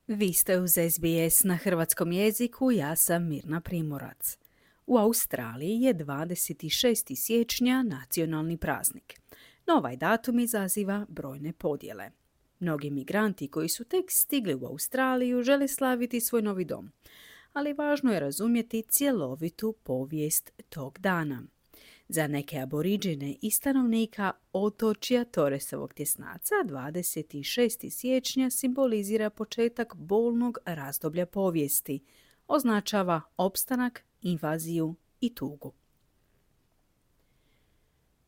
Vi ste uz SBS na hrvatskom jeziku, ja sam Mirna Primorac. U Australiji je 26. siječnja nacionalni praznik. No ovaj datum izaziva brojne podjele. Mnogi migranti koji su tek stigli u Australiju žele slaviti svoj novi dom, ali važno je razumjeti cjelovitu povijest tog dana. Za neke aboriđine i stanovnika otočja Torresovog tjesnaca 26. siječnja simbolizira početak bolnog razdoblja povijesti, označava opstanak, invaziju i tugu.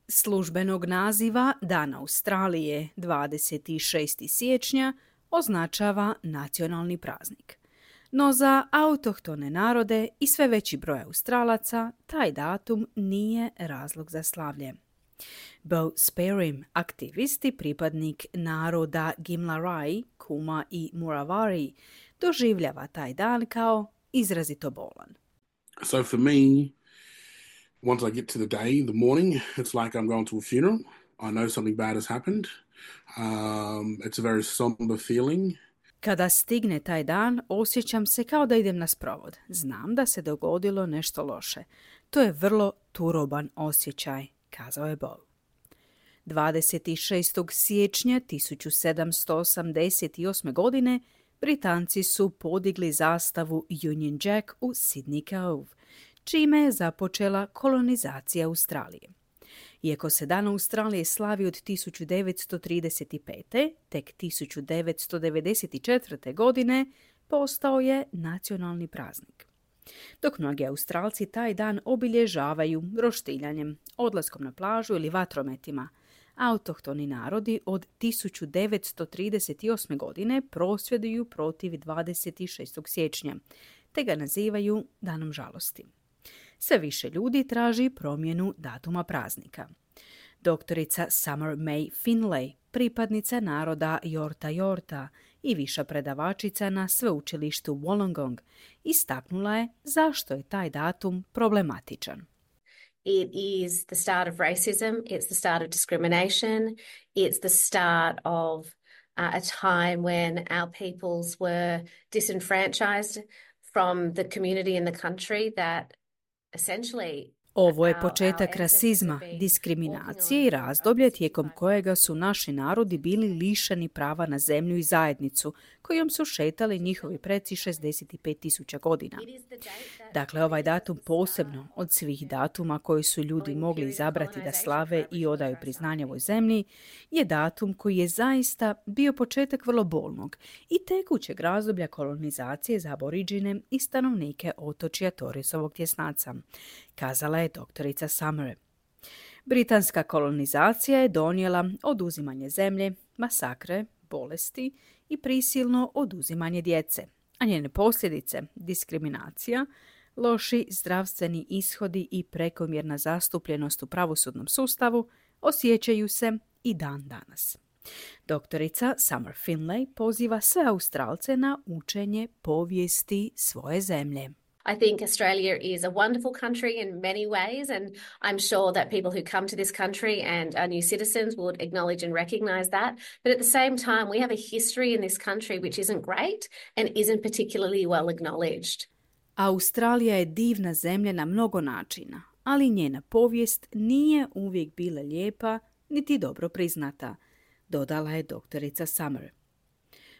Službenog naziva Dan Australije 26. siječnja označava nacionalni praznik. No za autohtone narode i sve veći broj Australaca taj datum nije razlog za slavlje. Beau Sperim, aktivist i pripadnik naroda Gimlarai, Kuma i Muravari, doživljava taj dan kao izrazito bolan. So for me, once I get to the day, the morning, it's like I'm going to a funeral. I know something bad has happened. It's a very somber feeling. Kada stigne taj dan, osjećam se kao da idem na sprovod. Znam da se dogodilo nešto loše. To je vrlo turoban osjećaj, kazao je Beau. 26. siječnja 1788. godine Britanci su podigli zastavu Union Jack u Sydney Cove, čime je započela kolonizacija Australije. Iako se Dan Australije slavi od 1935. tek 1994. godine postao je nacionalni praznik. Dok mnogi Australci taj dan obilježavaju roštiljanjem, odlaskom na plažu ili vatrometima, autohtoni narodi od 1938. godine prosvjeduju protiv 26. siječnja, te ga nazivaju Danom žalosti. Sve više ljudi traži promjenu datuma praznika. Doktorica Summer May Finlay, pripadnica naroda Yorta Yorta i viša predavačica na sveučilištu Wollongong, istaknula je zašto je taj datum problematičan. It is the start of racism, it's the start of discrimination, it's the start of a time when our peoples were disenfranchised from the community and the country that essentially Ovo je početak rasizma, diskriminacije i razdoblje tijekom kojega su naši narodi bili lišeni prava na zemlju i zajednicu, kojom su šetali njihovi preci 65.000 godina. Dakle, ovaj datum posebno od svih datuma koji su ljudi mogli izabrati da slave i odaju priznanje ovoj zemlji, je datum koji je zaista bio početak vrlo bolnog i tekućeg razdoblja kolonizacije za aboriđine i stanovnike otočja Torresovog tjesnaca, kazala je doktorica Summer. Britanska kolonizacija je donijela oduzimanje zemlje, masakre, bolesti i prisilno oduzimanje djece, a njene posljedice, diskriminacija, loši zdravstveni ishodi i prekomjerna zastupljenost u pravosudnom sustavu osjećaju se i dan danas. Doktorica Summer Finlay poziva sve Australce na učenje povijesti svoje zemlje. I think Australia is a wonderful country in many ways, and I'm sure that people who come to this country and are new citizens would acknowledge and recognise that. But at the same time, we have a history in this country which isn't great and isn't particularly well acknowledged. Australija je divna zemlja na mnogo načina, ali njena povijest nije uvijek bila lijepa niti dobro priznata, dodala je doktorica Summer.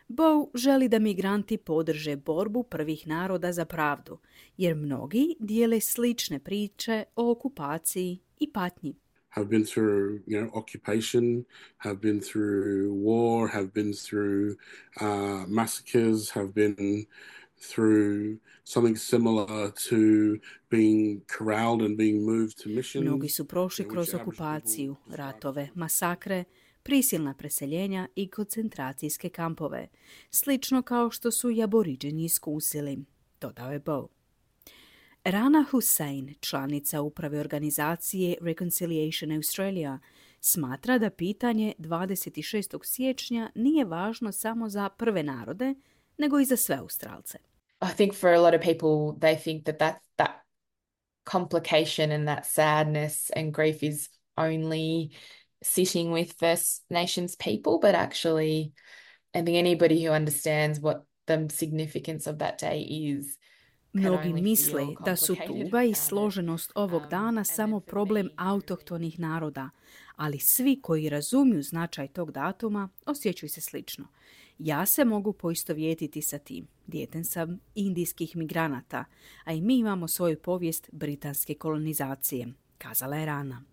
Beau želi da migranti podrže borbu prvih naroda za pravdu, jer mnogi dijele slične priče o okupaciji i patnji. Have been through, occupation, have been through war, have been through massacres, have been through something similar to being corralled and being moved to mission. Mnogi su prošli kroz okupaciju, ratove, masakre, prisilna preseljenja i koncentracijske kampove, slično kao što su i aboriđeni iskusili, dodao je Beau. Rana Hussein, članica uprave organizacije Reconciliation Australia, smatra da pitanje 26. siječnja nije važno samo za prve narode, nego i za sve Australce. I think for a lot of people, they think that complication and that sadness and grief is only sitting with First Nations people, but actually I think anybody who understands what the significance of that day is. Mnogi misle da su tuga i složenost ovog dana samo problem autohtonih naroda, ali svi koji razumiju značaj tog datuma osjećaju se slično. Ja se mogu poistovjetiti sa tim. Dijete sam indijskih migranata, a i mi imamo svoju povijest britanske kolonizacije, kazala je Rana.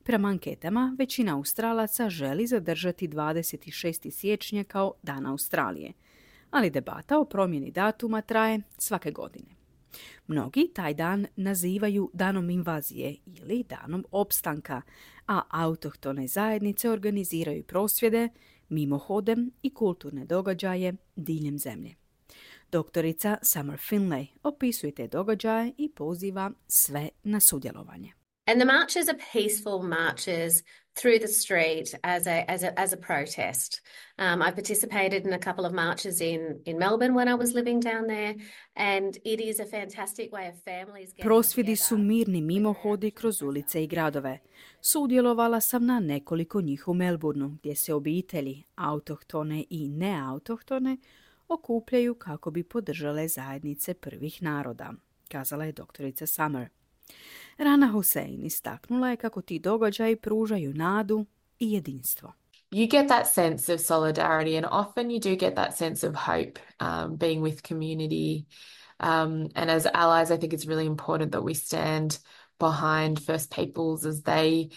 Prema anketama, većina Australaca želi zadržati 26. siječnja kao Dan Australije, ali debata o promjeni datuma traje svake godine. Mnogi taj dan nazivaju danom invazije ili danom opstanka, a autohtone zajednice organiziraju prosvjede, mimohode i kulturne događaje diljem zemlje. Doktorica Summer Finlay opisuje te događaje i poziva sve na sudjelovanje. And the marches are peaceful marches through the street as a protest. I participated in a couple of marches in Melbourne when I was living down there, and it is a fantastic way of families getting Prosvjedi su together. mirni mimohodi kroz ulice i gradove. Sudjelovala sam na nekoliko njih u Melbourneu, gdje se obitelji, autohtone i neautohtone, okupljaju kako bi podržale zajednice prvih naroda, kazala je doktorica Summer. Rana Hussein istaknula je kako ti događaji pružaju nadu i jedinstvo. You get that sense of solidarity, and often you do get that sense of hope, being with community. And as allies, I think it's really important that we stand behind First Peoples as they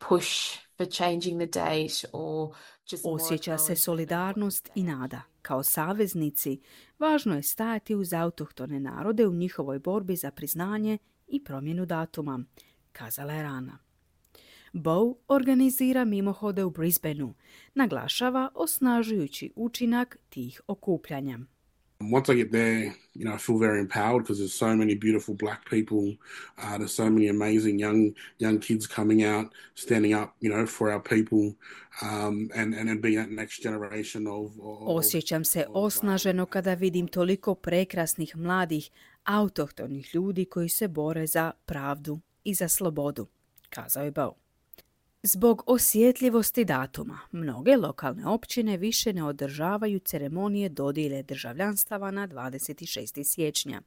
push for changing the date or just more Osjeća se acknowledgement solidarnost i nada. Kao saveznici, važno je stajati uz autohtone narode u njihovoj borbi za priznanje i promjenu datuma, kazala je Rana. Bow organizira mimohode u Brisbaneu, naglašava osnažujući učinak tih okupljanja. Once I get there, I feel very empowered because there's so many beautiful black people. There's so many amazing young kids coming out, standing up, for our people, and being that next generation of Osjećam se osnaženo kada vidim toliko prekrasnih mladih autohtonih ljudi koji se bore za pravdu i za slobodu, kazao je Bow. Zbog osjetljivosti datuma, mnoge lokalne općine više ne održavaju ceremonije dodjele državljanstava na 26. siječnja,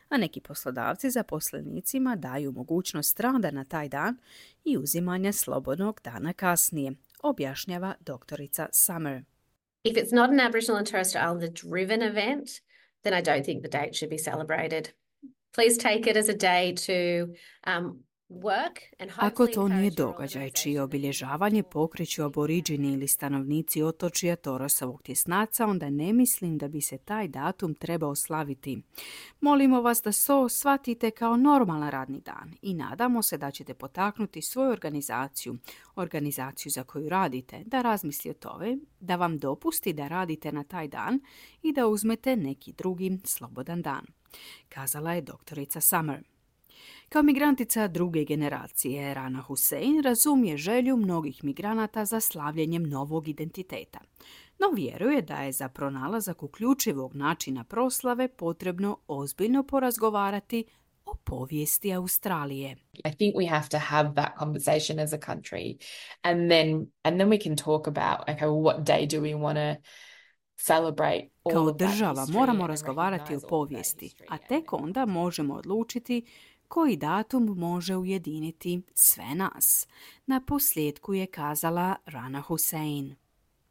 a neki poslodavci zaposlenicima daju mogućnost rada na taj dan i uzimanja slobodnog dana kasnije, objašnjava doktorica Summer. If it's not an Aboriginal and Torres Strait Islander driven event, then I don't think the date should be celebrated. Please take it as a day to Ako to nije događaj čije obilježavanje pokreću aboriđini ili stanovnici otočja Torosovog tjesnaca, onda ne mislim da bi se taj datum trebao slaviti. Molimo vas da to shvatite kao normalan radni dan i nadamo se da ćete potaknuti svoju organizaciju za koju radite, da razmisli o tome, da vam dopusti da radite na taj dan i da uzmete neki drugi slobodan dan, kazala je doktorica Summer. Kao migrantica druge generacije, Rana Hussein razumije želju mnogih migranata za slavljenjem novog identiteta, no vjeruje da je za pronalazak uključivog načina proslave potrebno ozbiljno porazgovarati o povijesti Australije. I think we have to have that conversation as a country, and then we can talk about, okay, well, what day do we want to celebrate all Kao of that država history moramo and razgovarati o recognize all of that povijesti, history a and tek onda možemo odlučiti koji datum može ujediniti sve nas. Na posljedku je kazala Rana Hussein.